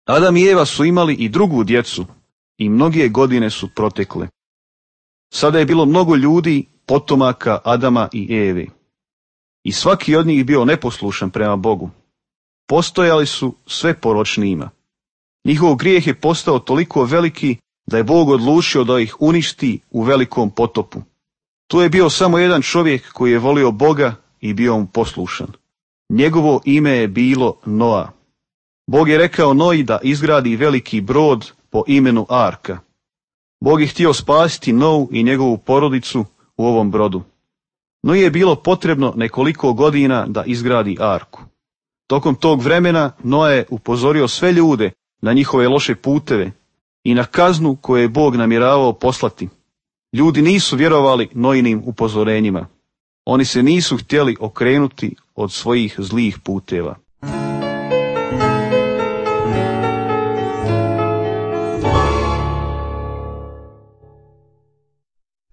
Adam i Eva su imali i drugu djecu i mnoge godine su protekle. Sada je bilo mnogo ljudi, potomaka Adama i Eve. I svaki od njih bio neposlušan prema Bogu. Postojali su sve poročnijima. Njihov grijeh je postao toliko veliki da je Bog odlučio da ih uništi u velikom potopu. Tu je bio samo jedan čovjek koji je volio Boga i bio mu poslušan. Njegovo ime je bilo Noa. Bog je rekao Noji da izgradi veliki brod po imenu Arka. Bog je htio spasiti Nou i njegovu porodicu u ovom brodu. Noji je bilo potrebno nekoliko godina da izgradi Arku. Tokom tog vremena Noa je upozorio sve ljude na njihove loše puteve i na kaznu koju je Bog namjeravao poslati. Ljudi nisu vjerovali Nojinim upozorenjima. Oni se nisu htjeli okrenuti od svojih zlih puteva.